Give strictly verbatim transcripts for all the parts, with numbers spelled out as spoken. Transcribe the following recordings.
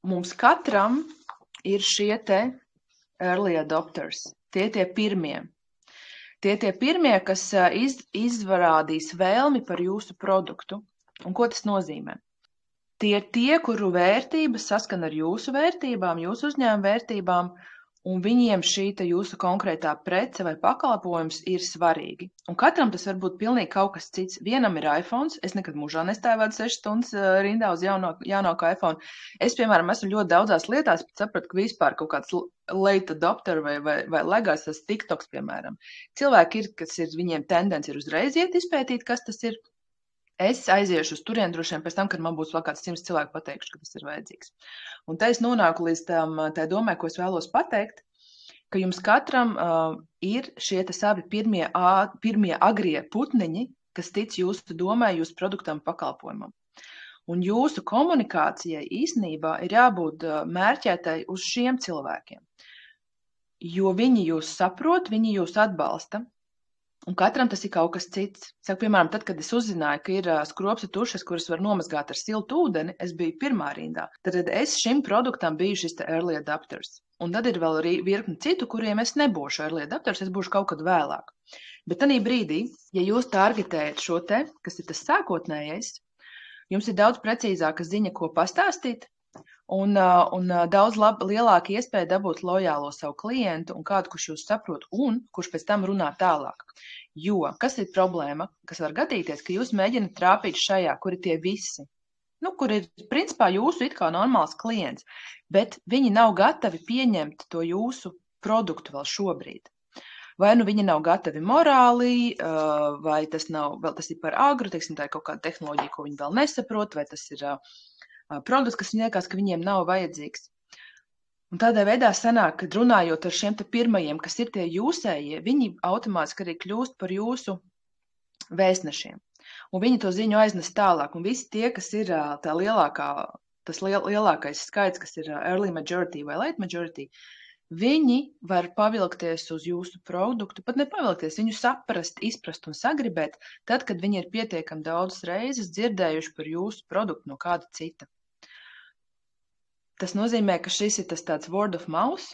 mums katram ir šie te early adopters, tie tie pirmie. Tie tie pirmie, kas iz, izvarādīs vēlmi par jūsu produktu. Un ko tas nozīmē? Tie ir tie, kuru vērtības saskan ar jūsu vērtībām, jūsu uzņēmuma vērtībām, un viņiem šī te jūsu konkrētā prece vai pakalpojums ir svarīgi. Un katram tas var būt pilnīgi kaut kas cits. Vienam ir iPhones, es nekad mūžā nestāvētu sešas stundas rindā uz jaunāku, jaunāku iPhone. Es, piemēram, esmu ļoti daudzās lietās, bet sapratu, ka vispār kaut kāds late adopter vai, vai, vai legās tas TikToks, piemēram. Cilvēki ir, kas ir, viņiem tendence ir uzreiz iet izpētīt, kas tas ir. Es aiziešu uz turieni droši vien pēc tam, kad man būs vēl kāds simts cilvēku pateikšu, ka tas ir vajadzīgs. Un te es nonāku līdz tam, tai domai, ko es vēlos pateikt, ka jums katram uh, ir šie te savi pirmie, ā, pirmie agrie putniņi, kas tic jūsu domai, jūsu produktam, pakalpojumam. Un jūsu komunikācijai īstenībā ir jābūt uh, mērķētai uz šiem cilvēkiem. Jo viņi jūs saprot, viņi jūs atbalsta. Un katram tas ir kaut kas cits. Saku, piemēram, tad, kad es uzzināju, ka ir skropsta tušas, kuras var nomazgāt ar siltu ūdeni, es biju pirmā rindā. Tad es šim produktam biju šis te early adopters. Un tad ir vēl arī virkni citu, kuriem es nebūšu early adopters, es būšu kaut kad vēlāk. Bet tanī brīdī, ja jūs targetējat šo te, kas ir tas sākotnējais, jums ir daudz precīzāka ziņa, ko pastāstīt, un, un daudz lab, lielāka iespēja dabūt lojālo savu klientu un kādu, kurš jūs saprot un kurš pēc tam runā tālāk. Jo, kas ir problēma, kas var gadīties, ka jūs mēģināt trāpīt šajā, kur ir tie visi, nu, kur ir, principā, jūsu it kā normāls klients, bet viņi nav gatavi pieņemt to jūsu produktu vēl šobrīd. Vai nu viņi nav gatavi morāli, vai tas nav, vēl tas ir par agru, teiksim, tā ir kaut kāda tehnoloģija, ko viņi vēl nesaprot, vai tas ir produkts, kas viņiem liekas, ka viņiem nav vajadzīgs. Un tādā veidā sanāk, kad runājot ar šiem te pirmajiem, kas ir tie jūsējie, viņi automātiski arī kļūst par jūsu vēstnešiem. Un viņi to ziņu aiznes tālāk. Un visi tie, kas ir tā lielākā, tas liel, lielākais skaits, kas ir early majority vai late majority, viņi var pavilkties uz jūsu produktu, pat nepavilkties, viņu saprast, izprast un sagribēt, tad, kad viņi ir pietiekami daudzas reizes dzirdējuši par jūsu produktu no kāda cita. Tas nozīmē, ka šis ir tas tāds word of mouth,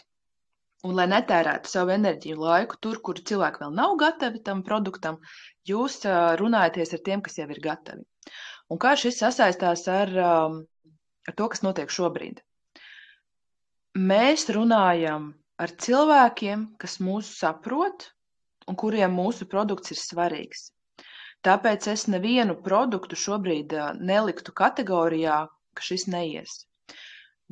un lai netērētu savu enerģiju laiku tur, kur cilvēki vēl nav gatavi tam produktam, jūs runājaties ar tiem, kas jau ir gatavi. Un kā šis sasaistās ar, ar to, kas notiek šobrīd? Mēs runājam ar cilvēkiem, kas mūs saprot un kuriem mūsu produkts ir svarīgs. Tāpēc es nevienu produktu šobrīd neliktu kategorijā, ka šis neies.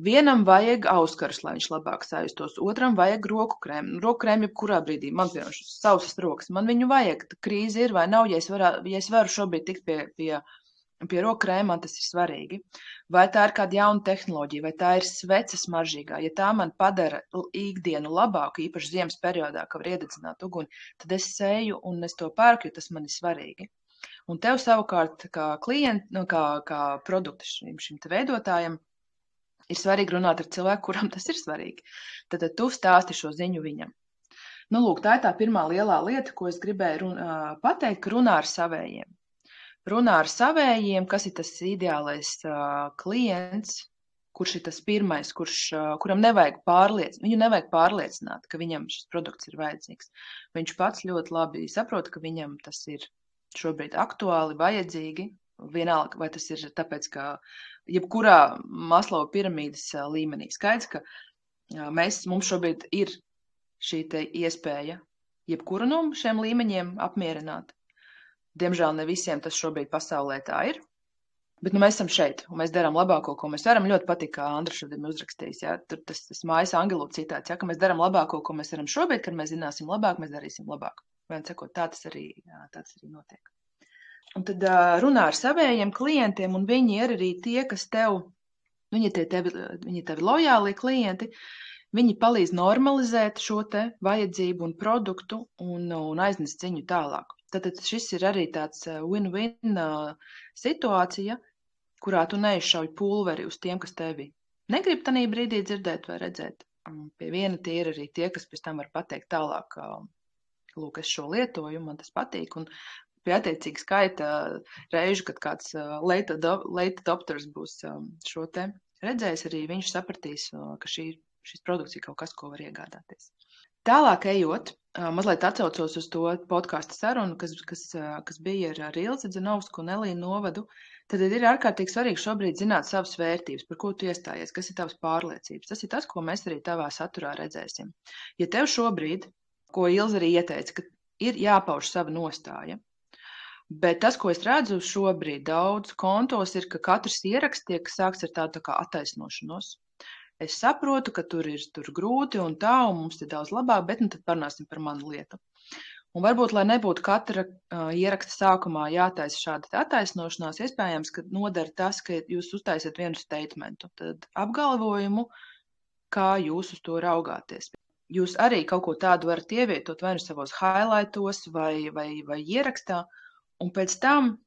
Vienam vajag auskarus, lai viņš labāk sajustos, otram vajag roku krēmu. Roku krēmu jebkurā brīdī, man piemēram šis sausas rokas, man viņu vajag, krīze ir vai nav, ja es, varā, ja es varu šobrīd tikt pie, pie, pie roku krēma, man tas ir svarīgi. Vai tā ir kāda jauna tehnoloģija, vai tā ir sveces maržīgā, ja tā man padara ikdienu labāku, īpaši ziemas periodā, ka var iededzināt uguni, tad es seju un es to pērku, jo tas man ir svarīgi. Un tev savukārt kā klient, nu, kā, kā produktu šim, šim te veidotājam, ir svarīgi runāt ar cilvēku, kuram tas ir svarīgi. Tad, tad tu stāsti šo ziņu viņam. Nu, lūk, tā ir tā pirmā lielā lieta, ko es gribēju run, uh, pateikt, ka runā ar savējiem. Runā ar savējiem, kas ir tas ideālais uh, klients, kurš ir tas pirmais, kurš, uh, kuram nevajag pārliecināt, viņu nevajag pārliecināt, ka viņam šis produkts ir vajadzīgs. Viņš pats ļoti labi saprot, ka viņam tas ir šobrīd aktuāli, vajadzīgi. Vienalga, vai tas ir tāpēc, ka jebkurā Maslova piramīdas līmenī skaidrs, ka mēs, mums šobrīd ir šī te iespēja jebkuru no šiem līmeņiem apmierināt. Diemžēl ne visiem tas šobrīd pasaulē tā ir, bet nu, mēs esam šeit, un mēs darām labāko, ko mēs varam. Ļoti patīk, kā Andra šodien uzrakstījis, ja? Tur tas, tas mājas angelu citāts, ja? Ka mēs darām labāko, ko mēs varam šobrīd, kad mēs zināsim labāk, mēs darīsim labāk. Vien sakot, tā tas arī, jā, tā tas arī notiek. Un tad uh, runā ar savējiem klientiem, un viņi ir arī tie, kas tev, viņi ir tevi, viņi ir tevi lojāli klienti, viņi palīdz normalizēt šo te vajadzību un produktu un, un aiznest ziņu tālāk. Tātad šis ir arī tāds win-win uh, situācija, kurā tu neizšauj pulveri uz tiem, kas tevi negrib tanī brīdī dzirdēt vai redzēt. Un pie viena tie ir arī tie, kas pēc tam var pateikt tālāk, uh, lūk, es šo lietoju, man tas patīk, un pie attiecīgi skaita reižu, kad kāds late adopters būs šo te redzējis, arī viņš sapratīs, ka šī, šis produkts ir kaut kas, ko var iegādāties. Tālāk ejot, mazliet atcaucos uz to podkāstu sarunu, kas, kas, kas bija ar Ilzi Dzenovsku un Elīnu Novadu, tad ir ārkārtīgi svarīgi šobrīd zināt savas vērtības, par ko tu iestājies, kas ir tavas pārliecības. Tas ir tas, ko mēs arī tavā saturā redzēsim. Ja tev šobrīd, ko Ilze arī ieteica, ka ir jāpauž sava nostāja, bet tas, ko es redzu šobrīd daudz kontos, ir, ka katrs ieraksts tiek sāks ar tādu tā kā attaisnošanos. Es saprotu, ka tur ir tur grūti un tā, un mums ir daudz labāk, bet nu tad parunāsim par manu lietu. Un varbūt, lai nebūtu katra uh, ieraksta sākumā jātaisa šāda attaisnošanās, iespējams, ka nodara tas, ka jūs uztaisiet vienu statementu, tad apgalvojumu, kā jūs uz to raugāties. Jūs arī kaut ko tādu varat ievietot vai nu savos highlightos vai, vai, vai ierakstā, un pēc tam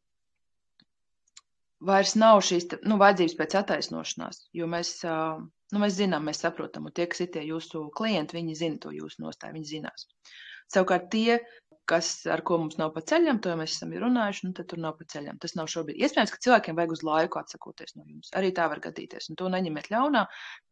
vairs nav šīs nu, vajadzības pēc attaisnošanās, jo mēs, nu, mēs zinām, mēs saprotam, un tie, kas ir tie jūsu klienti, viņi zina to jūsu nostāju, viņi zinās. Savukārt tie, kas, ar ko mums nav pa ceļam, to mēs esam runājuši, nu, tad tur nav pa ceļam. Tas nav šobrīd. Iespējams, ka cilvēkiem vajag uz laiku atsakoties no jums. Arī tā var gadīties, un to neņemiet ļaunā,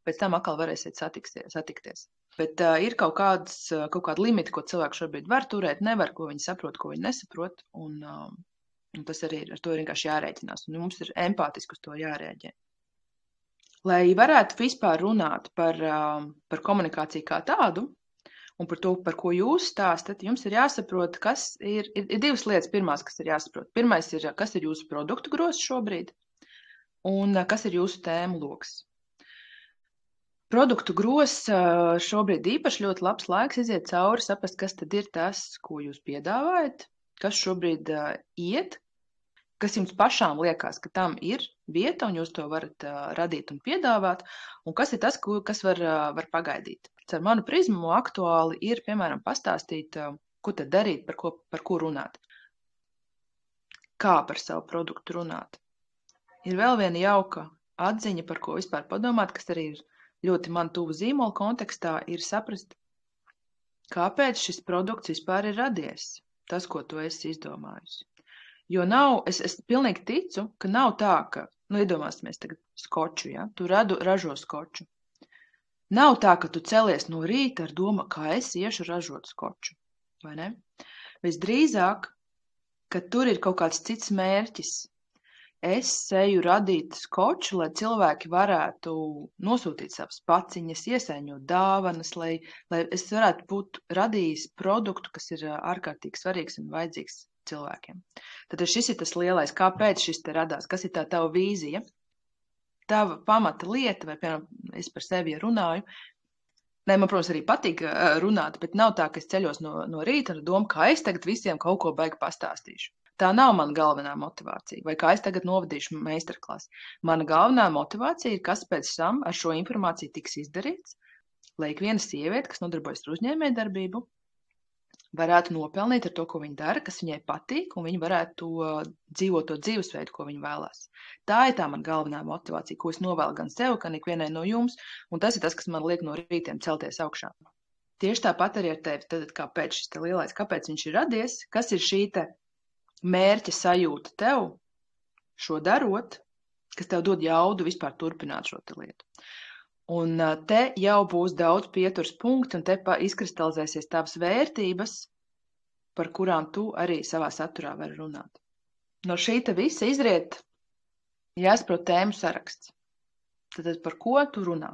pēc tam atkal varēsiet satikties. Bet uh, ir kaut kādas, kaut kāda limita, ko cilvēki šobrīd var turēt, nevar, ko viņi saprot, ko viņi nesaprot, un, uh, un tas arī ir, ar to ir vienkārši jārēķinās, un mums ir empātiski uz to jārēģē. Lai varētu vispār runāt par, uh, par komunikāciju kā tādu, un par to, par ko jūs stāstat, jums ir jāsaprot, kas ir, ir, ir divas lietas pirmās, kas ir jāsaprot. Pirmais ir, kas ir jūsu produktu grozs šobrīd, un kas ir jūsu tēmu loks. Produktu grozs šobrīd īpaši ļoti labs laiks iziet cauri, saprast, kas tad ir tas, ko jūs piedāvājat, kas šobrīd uh, iet, kas jums pašām liekas, ka tam ir vieta, un jūs to varat uh, radīt un piedāvāt, un kas ir tas, ko, kas var, uh, var pagaidīt. Ar manu prizmu aktuāli ir, piemēram, pastāstīt, ko tad darīt, par ko, par ko runāt. Kā par savu produktu runāt. Ir vēl viena jauka atziņa, par ko vispār padomāt, kas arī ir ļoti man tuvu zīmola kontekstā, ir saprast, kāpēc šis produkts vispār ir radies, tas, ko tu esi izdomājusi. Jo nav, es, es pilnīgi ticu, ka nav tā, ka, nu, iedomāsimies tagad skoču, ja, tu radu, ražo skoču. Nav tā, ka tu celies no rīta ar domu, kā es iešu ražot skoču, vai ne? Visdrīzāk, ka tur ir kaut kāds cits mērķis. Es eju radīt skoču, lai cilvēki varētu nosūtīt savas paciņas, iesaiņot dāvanas, lai, lai es varētu būt radījis produktu, kas ir ārkārtīgi svarīgs un vajadzīgs cilvēkiem. Tad šis ir tas lielais, kāpēc šis te radās, kas ir tā tava vīzija. Tava pamata lieta, vai, piemēram, es par sevi runāju, ne, man, protams, arī patīk runāt, bet nav tā, ka es ceļos no, no rīta ar domu, kā es tagad visiem kaut ko baigi pastāstīšu. Tā nav mana galvenā motivācija, vai kā es tagad novadīšu meistarklasi. Mana galvenā motivācija ir, kas pēc tam ar šo informāciju tiks izdarīts, lai ik viena sieviete, kas nodarbojas ar uzņēmējdarbību, varētu nopelnīt ar to, ko viņa dara, kas viņai patīk, un viņa varētu uh, dzīvot to dzīvesveidu, ko viņa vēlās. Tā ir tā man galvenā motivācija, ko es novēlu gan sev, gan ikvienai no jums, un tas ir tas, kas man liek no rītiem celties augšā. Tieši tāpat arī ar tevi, tad kāpēc šis te lielais, kāpēc viņš ir radies, kas ir šī te mērķa sajūta tev šo darot, kas tev dod jaudu vispār turpināt šo te lietu. Un te jau būs daudz pieturs punkti, un te izkristalizēsies tavas vērtības, par kurām tu arī savā saturā vari runāt. No šī te visa izriet jāsaprot tēmu saraksts. Tad par ko tu runā?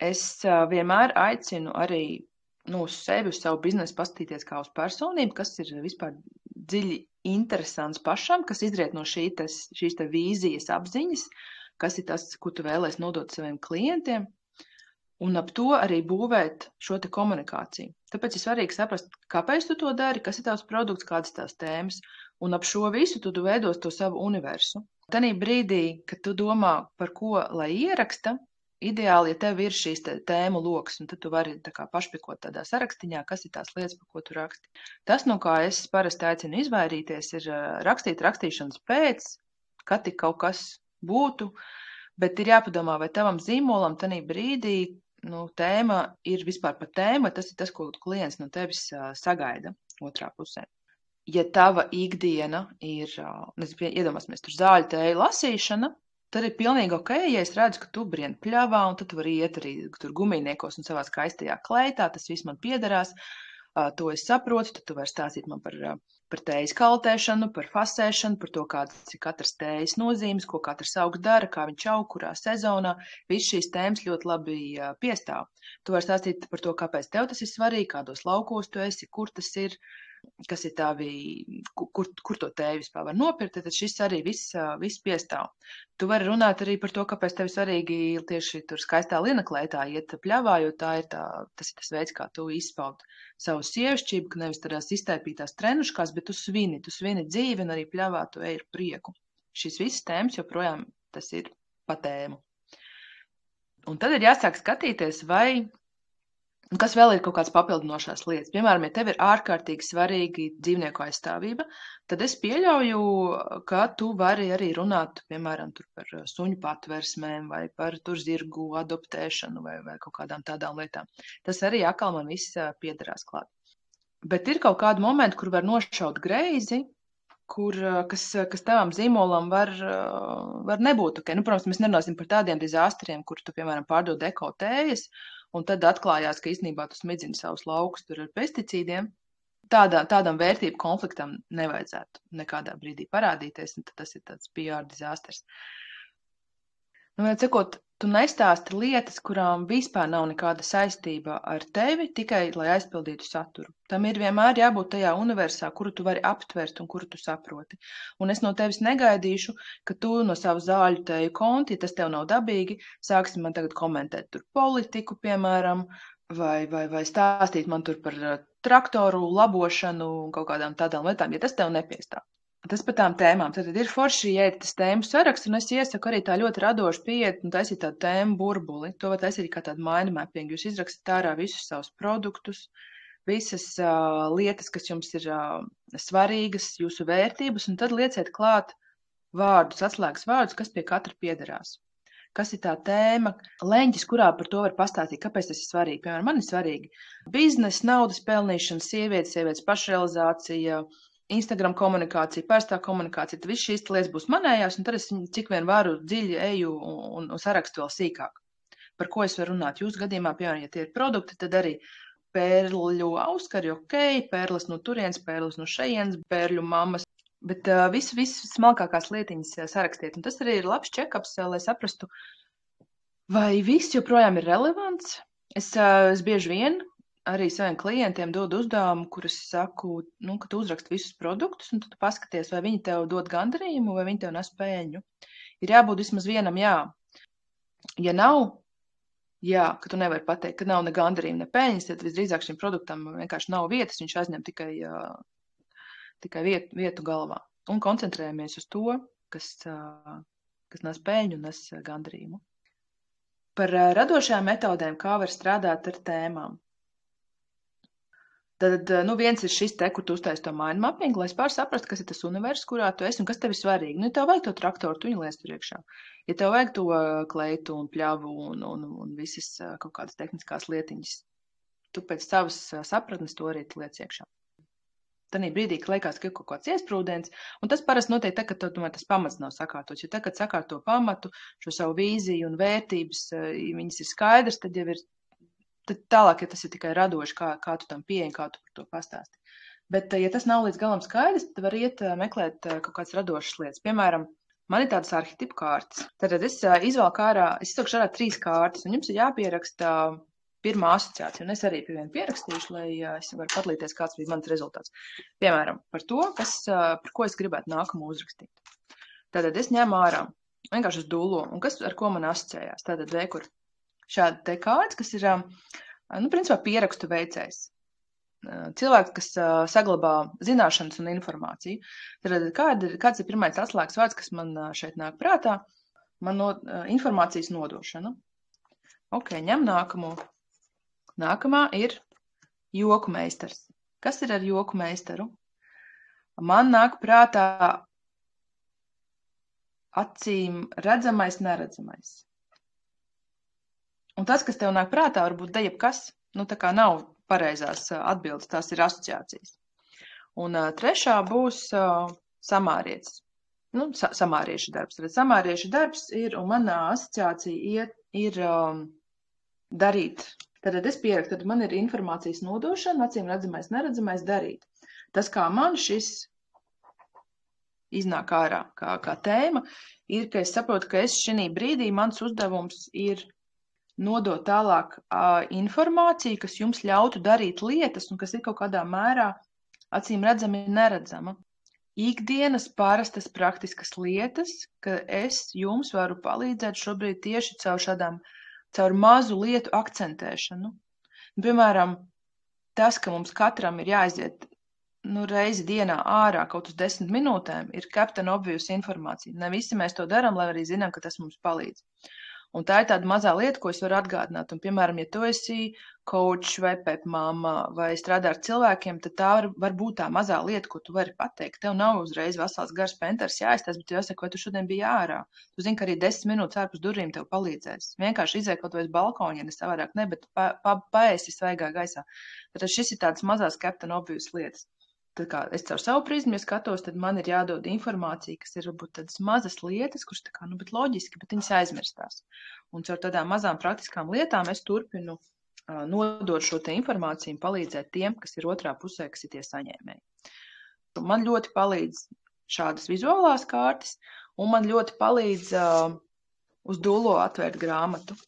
Es vienmēr aicinu arī nu, uz sevi, uz savu biznesu paskatīties kā uz personību, kas ir vispār dziļi interesants pašam, kas izriet no šī te, šīs te vīzijas apziņas, kas ir tas, ko tu vēlēs nodot saviem klientiem, un ap to arī būvēt šo te komunikāciju. Tāpēc ir svarīgi saprast, kāpēc tu to dari, kas ir tavs produkts, kādas tās tēmas, un ap šo visu tu veidos to savu universu. Tanī brīdī, kad tu domā, par ko lai ieraksta, ideāli, ja tev ir šīs tēmu loks, un tad tu vari tā kā pašpikot tādā sarakstiņā, kas ir tās lietas, par ko tu raksti. Tas, no kā es parasti aicinu izvairīties, ir rakstīt rakstīšanas pēc, kad tik kaut kas būtu, bet ir jāpadomā, vai tavam zīmolam tanī brīdī nu, tēma ir vispār par tēmu, tas ir tas, ko klients no tevis uh, sagaida otrā pusē. Ja tava ikdiena ir, uh, iedomāsimies, tur zāļu tēju lasīšana, tad ir pilnīgi ok, ja es redzu, ka tu brien pļavā, un tad tu vari iet arī tur gumijniekos un savā skaistajā kleitā, tas viss man piederās, uh, to es saprotu, tad tu vari stāstīt man par, uh, par tējas kaltēšanu, par fasēšanu, par to, kādas ir katras tējas nozīmes, ko katrs augs dara, kā viņš aug, kurā sezonā. Viss šīs tēmas ļoti labi uh, piestāv. Tu vari stāstīt par to, kāpēc tev tas ir svarīgi, kādos laukos tu esi, kur tas ir, kas ir tavi, kur, kur to tēju vispār var nopirkt, tad šis arī viss, viss piestāv. Tu vari runāt arī par to, kāpēc tev svarīgi tieši tur skaistā linaklētā iet pļavā, jo tā ir tā, tas ir tas veids, kā tu izpaud savu sievišķību, ka nevis tādās iztaipītās trenuškās, bet tu svini, tu svini dzīvi un arī pļavā tu ej ar prieku. Šis viss tēmas joprojām tas ir pa tēmu. Un tad ir jāsāk skatīties, vai un kas vēl ir kaut kāds papildinošās lietas. Piemēram, ja tev ir ārkārtīgi svarīgi dzīvnieku aizstāvība, tad es pieļauju, ka tu vari arī runāt, piemēram, tur par suņu patversmēm vai par tur zirgu adoptēšanu vai, vai kaut kādām tādām lietām. Tas arī atkal man viss piederās klāt. Bet ir kaut kādi momenti, kur var nošaut greizi, kur, kas, kas tavam zīmolam var, var nebūt. Okay. Nu, protams, mēs nerunāsim par tādiem dizāstriem, kur tu, piemēram, pārdod eko tējas, un tad atklājās, ka īstenībā tu smidzini savus laukus tur ar pesticīdiem. Tādā, tādam vērtību konfliktam nevajadzētu nekādā brīdī parādīties, un tad tas ir tāds P R dizasters. Nu, vienot sakot, tu nestāsti lietas, kurām vispār nav nekāda saistība ar tevi, tikai lai aizpildītu saturu. Tam ir vienmēr jābūt tajā universā, kuru tu vari aptvert un kuru tu saproti. Un es no tevis negaidīšu, ka tu no savu zāļu teju konti, ja tas tev nav dabīgi, sāksi man tagad komentēt tur politiku, piemēram, vai, vai, vai stāstīt man tur par traktoru labošanu un kaut kādām tādām lietām, ja tas tev nepiestāv. Tas par tām tēmām. Tad ir forši iet tas tēmu saraksts, un es iesaku arī tā ļoti radoši pieiet un taisīt tādu tēmu burbuli. To var taisīt kā tādu mind mapping. Jūs izrakstat ārā visus savus produktus, visas uh, lietas, kas jums ir uh, svarīgas, jūsu vērtības, un tad lieciet klāt vārdus, atslēgas vārdus, kas pie katra piederās. Kas ir tā tēma, leņķis, kurā par to var pastāstīt, kāpēc tas ir svarīgi. Piemēram, man ir svarīgi biznesa, naudas pelnīšana, sievietes, sievietes pašrealizācija, Instagram komunikācija, pārstā komunikācija, tad viss šīs lietas būs manējās, un tad es cik vien varu dziļi eju un, un, un sarakstu vēl sīkāk. Par ko es varu runāt? Jūsu gadījumā, piemēram, ja tie ir produkti, tad arī pērļu auskari, ok, pērles no turienes, pērles no šejienes, pērļu mammas, bet uh, visu, visu smalkākās lietiņas sarakstiet. Un tas arī ir labs check-ups, lai saprastu, vai viss joprojām ir relevants. Es, uh, es bieži vien arī saviem klientiem dodu uzdevumu, kur es saku, nu, ka tu uzraksti visus produktus, un tad tu paskaties, vai viņi tev dod gandarījumu, vai viņi tev nes peļņu. Ir jābūt vismaz vienam jā. Ja nav, jā, ka tu nevari pateikt, ka nav ne gandarījuma, ne peļņas, tad visdrīzāk šim produktam vienkārši nav vietas, viņš aizņem tikai, tikai vietu, vietu galvā. Un koncentrējamies uz to, kas, kas nes peļņu un nes gandarījumu. Par radošajām metodēm, kā var strādāt ar tēmām. Tad, nu, viens ir šis te, kur tu uztaisi to mind mapping, lai es pār saprastu, kas ir tas univers, kurā tu esi un kas tev ir svarīgi. Nu, ja tev vajag to traktoru, tu viņu liec tur iekšā. Ja tev vajag to kleitu un pļavu un, un, un visas kaut kādas tehniskās lietiņas, tu pēc savas sapratnes to arī liec iekšā. Tanī brīdī, ka liekas, ka ir kaut kāds iesprūdens, un tas parasti notiek tā, ka tomēr tas pamats nav sakārtots. Jo tā, kad sakārto pamatu, šo savu vīziju un vērtības, ja viņas ir skaidrs, tad jau ir Tad tālāk, ja tas ir tikai radoši, kā, kā tu tam pieeji, kā tu par to pastāsti. Bet, ja tas nav līdz galam skaidrs, tad var iet meklēt kaut kādas radošas lietas. Piemēram, man ir tādas arhetipu kārtas. Tad es izvēlku ārā, es izsaukšu ārā trīs kārtas, un jums ir jāpieraksta pirmā asociācija. Un es arī pie vienu pierakstīšu, lai es varu padalīties, kāds bija mans rezultāts. Piemēram, par to, kas, par ko es gribētu nākamo uzrakstīt. Tātad es ņemu ārā, vienkārši uz dullo, un kas ar ko man asociējās. Tātad vekur. Šāda te kārtas, kas ir, nu, principā pierakstu veicējs. Cilvēks, kas saglabā zināšanas un informāciju. Tad kāda, kāds ir pirmais atslēgas vārds, kas man šeit nāk prātā? Man no, informācijas nodošana. Ok, ņem nākamo. Nākamā ir joku meistars. Kas ir ar joku meistaru? Man nāk prātā acīm redzamais, neredzamais. Un tas, kas tev nāk prātā, varbūt da jebkas, nu tā kā nav pareizās atbildes, tās ir asociācijas. Un uh, trešā būs uh, samārietis. nu, sa samāriešu darbs. Tad samāriešu darbs ir, un manā asociācija iet, ir um, darīt. Tad es pierakstu, tad man ir informācijas nodošana, acīm redzamais, neredzamais darīt. Tas, kā man šis iznāk ārā kā, kā tēma, ir, ka es saprotu, ka es šī brīdī mans uzdevums ir nodot tālāk uh, informāciju, kas jums ļautu darīt lietas un kas ir kaut kādā mērā acīm redzami neredzama. Ikdienas parastas praktiskas lietas, ka es jums varu palīdzēt šobrīd tieši caur šādām, caur mazu lietu akcentēšanu. Piemēram, tas, ka mums katram ir jāaiziet nu, reizi dienā ārā kaut uz desmit minūtēm, ir Captain Obvious informācija. Ne visi mēs to darām, lai arī zinām, ka tas mums palīdz. Un tā ir tāda mazā lieta, ko es varu atgādināt. Un, piemēram, ja tu esi coach vai pepmama vai strādā ar cilvēkiem, tad tā var, var būt tā mazā lieta, ko tu vari pateikt. Tev nav uzreiz vesels gars penters jāiztās, bet jāsaka, vai tu šodien biji ārā. Tu zini, ka arī desmit minūtes ārpus durvīm tev palīdzēs. Vienkārši izēj kaut vai uz balkonu, ja ne savādāk ne, bet pa, pa, paēsi svaigā gaisā. Tad šis ir tāds mazās Captain Obvious lietas. Tad kā es caur savu prizmu, ja skatos, tad man ir jādod informācija, kas ir varbūt tādas mazas lietas, kuras tā kā, nu, bet loģiski, bet viņas aizmirstās. Un caur tādām mazām praktiskām lietām es turpinu uh, nodot šo te informāciju un palīdzēt tiem, kas ir otrā pusē, kas ir tie saņēmēji. Man ļoti palīdz šādas vizuālās kārtas, un man ļoti palīdz uh, uz Dulo atvērt grāmatu.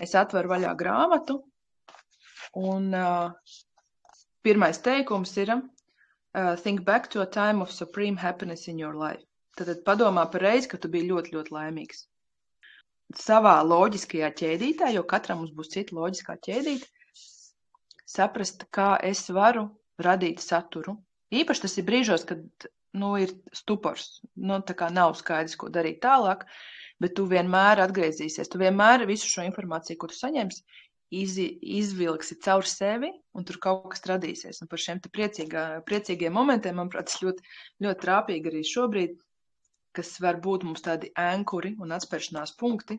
Es atveru vaļā grāmatu, un uh, pirmais teikums ir Uh, think back to a time of supreme happiness in your life. Tad padomā par reizi, ka tu biji ļoti, ļoti laimīgs. Savā loģiskajā ķēdītē, jo katram mums būs cita loģiskā ķēdīte, saprast, kā es varu radīt saturu. Īpaši tas ir brīžos, kad nu, ir stupors, nu, tā kā nav skaidrs, ko darīt tālāk, bet tu vienmēr atgriezīsies. Tu vienmēr visu šo informāciju, ko tu saņemsi, Iz, izvilksi caur sevi, un tur kaut kas radīsies. Un par šiem te priecīgā, priecīgiem momentiem, manuprāt, tas ļoti, ļoti trāpīgi arī šobrīd, kas var būt mums tādi ankuri un atspēršanās punkti.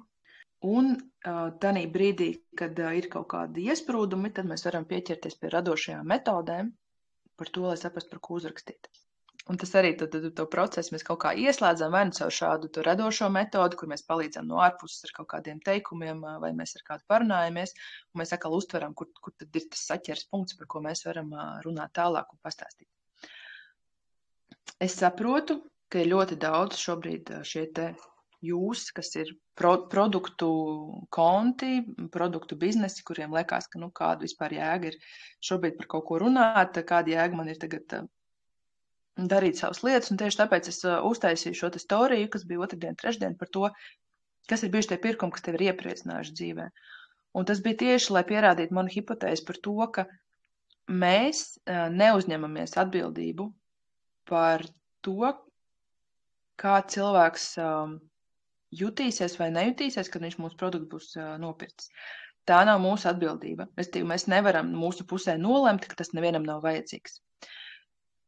Un uh, tanī brīdī, kad uh, ir kaut kādi iesprūdumi, tad mēs varam pieķerties pie radošajām metodēm par to, lai saprastu, par ko uzrakstīt. Un tas arī to, to, to procesu mēs kaut kā ieslēdzam, vai nu caur šādu to radošo metodu, kur mēs palīdzam no ārpuses ar kaut kādiem teikumiem, vai mēs ar kādu parunājamies, un mēs atkal uztveram, kur, kur tad ir tas saķers punkts, par ko mēs varam runāt tālāk un pastāstīt. Es saprotu, ka ir ļoti daudz šobrīd šie te jūs, kas ir pro, produktu konti, produktu biznesi, kuriem liekas, ka nu kādu vispār jēga ir šobrīd par kaut ko runāt, kāda jēga man ir tagad darīt savas lietas, un tieši tāpēc es uh, uztaisīju šo te storiju, kas bija otrdien, trešdien, par to, kas ir bijuši tie pirkumi, kas tevi ir iepriecinājuši dzīvē. Un tas bija tieši, lai pierādītu manu hipotēzi par to, ka mēs uh, neuzņemamies atbildību par to, kā cilvēks uh, jutīsies vai nejutīsies, kad viņš mūsu produktu būs uh, nopircis. Tā nav mūsu atbildība. Restīvi, mēs nevaram mūsu pusē nolemt, ka tas nevienam nav vajadzīgs.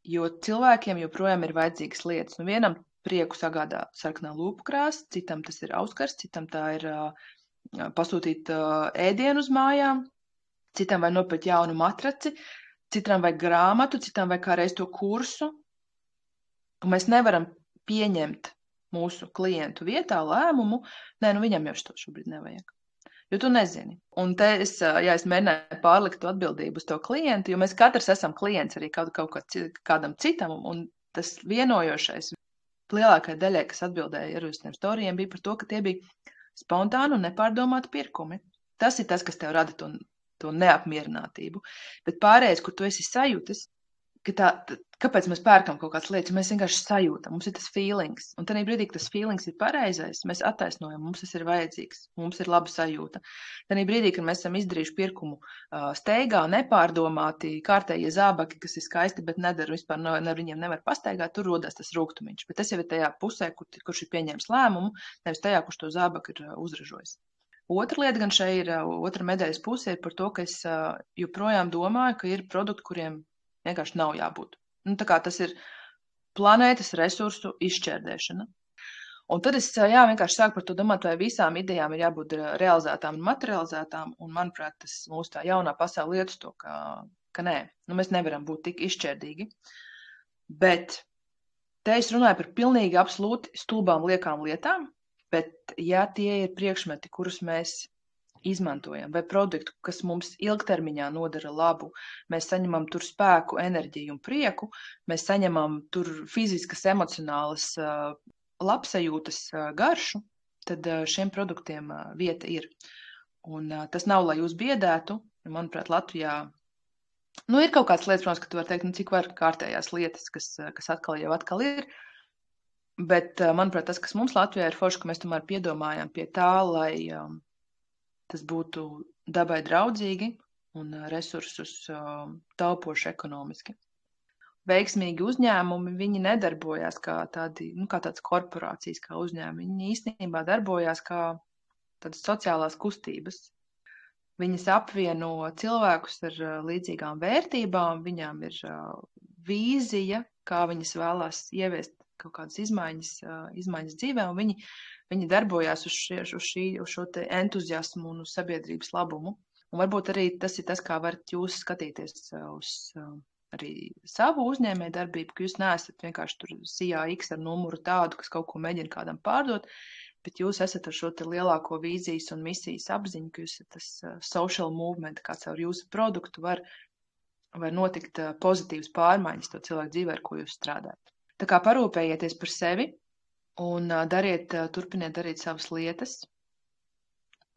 Jo cilvēkiem joprojām ir vajadzīgas lietas. Nu, vienam prieku sagādā sarkanā lūpu krāsa, citam tas ir auskars, citam tā ir uh, pasūtīt uh, ēdienu uz mājām, citam vai nopirkt jaunu matraci, citam vai grāmatu, citam vai kādreiz to kursu. Un mēs nevaram pieņemt mūsu klientu vietā lēmumu, nē, nu viņam jau to šobrīd nevajag. Jo tu nezini. Un te es, ja es mēģināju pārlikt to atbildību uz to klientu, jo mēs katrs esam klients arī kaut, kaut kādam citam, un tas vienojošais lielākai daļai, kas atbildēja ar uz tiem storijiem, bija par to, ka tie bija spontāni un nepārdomāti pirkumi. Tas ir tas, kas tev rada to, to neapmierinātību. Bet pārējais, kur tu esi sajūtis, ka tā, tā, kāpēc mēs pērkam kaut kādas lietas, mēs vienkārši sajūtam, mums ir tas feelings. Un tādā brīdī, ka tas feelings ir pareizais, mēs attaisnojam, mums tas ir vajadzīgs, mums ir laba sajūta. Tādā brīdī, kad mēs esam izdarījuši pirkumu uh, steigā, nepārdomāti, kārtējie zābaki, kas ir skaisti, bet nedara vispār, no, ne, viņiem nevar pastaigāt, tur rodas tas rūgtumiņš. Bet tas jau ir tajā pusē, kur, kurš ir pieņēmis lēmumu, nevis tajā, kurš to zābaku ir uh, uzražojis. Otra lieta gan šeit ir, uh, otra medaļas pusē ir par to, ka es uh, joprojām domāju, ka ir produkti, kuriem vienkārši nav jābūt. Nu, tā kā tas ir planētas resursu izšķērdēšana. Un tad es jā, vienkārši sāku par to domāt, vai visām idejām ir jābūt realizētām un materializētām, un manuprāt, tas mūsu tā jaunā pasaule iet uz to, ka, ka nē, nu, mēs nevaram būt tik izšķērdīgi. Bet Te es runāju par pilnīgi absolūti stulbām liekām lietām, bet ja tie ir priekšmeti, kurus mēs izmantojam, vai produktu, kas mums ilgtermiņā nodara labu, mēs saņemam tur spēku, enerģiju un prieku, mēs saņemam tur fiziskas, emocionālas uh, labsajūtas uh, garšu, tad uh, šiem produktiem uh, vieta ir. Un uh, tas nav, lai jūs biedētu. Manuprāt, Latvijā nu, ir kaut kādas lietas, protams, ka tu vari teikt, nu, cik var kārtējās lietas, kas, kas atkal jau atkal ir. Bet, manuprāt, tas, kas mums Latvijā ir forši, ka mēs tomēr piedomājam pie tā, lai um, tas būtu dabai draudzīgi un resursus um, taupoši ekonomiski. Veiksmīgi uzņēmumi, viņi nedarbojās kā tādi, nu, kā tādas korporācijas, kā uzņēmumi. Viņi īstenībā darbojās kā tādas sociālās kustības. Viņas apvieno cilvēkus ar uh, līdzīgām vērtībām, viņām ir uh, vīzija, kā viņas vēlās ieviest kaut kādas izmaiņas, uh, izmaiņas dzīvē, un viņi, viņi darbojās uz, šie, uz, šī, uz šo te entuziasmu un uz sabiedrības labumu. Un varbūt arī tas ir tas, kā varat jūs skatīties uh, uz uh, arī savu uzņēmēju darbību, ka jūs neesat vienkārši tur sijā X ar numuru tādu, kas kaut ko mēģina kādam pārdot, bet jūs esat ar šo te lielāko vīzijas un misijas apziņu, ka jūs esat tas uh, social movement, kā caur jūsu produktu var, var notikt uh, pozitīvas pārmaiņas to cilvēku dzīvē, ar ko jūs strādājat. Tā kā parūpējieties par sevi un uh, dariet, uh, turpiniet darīt savas lietas,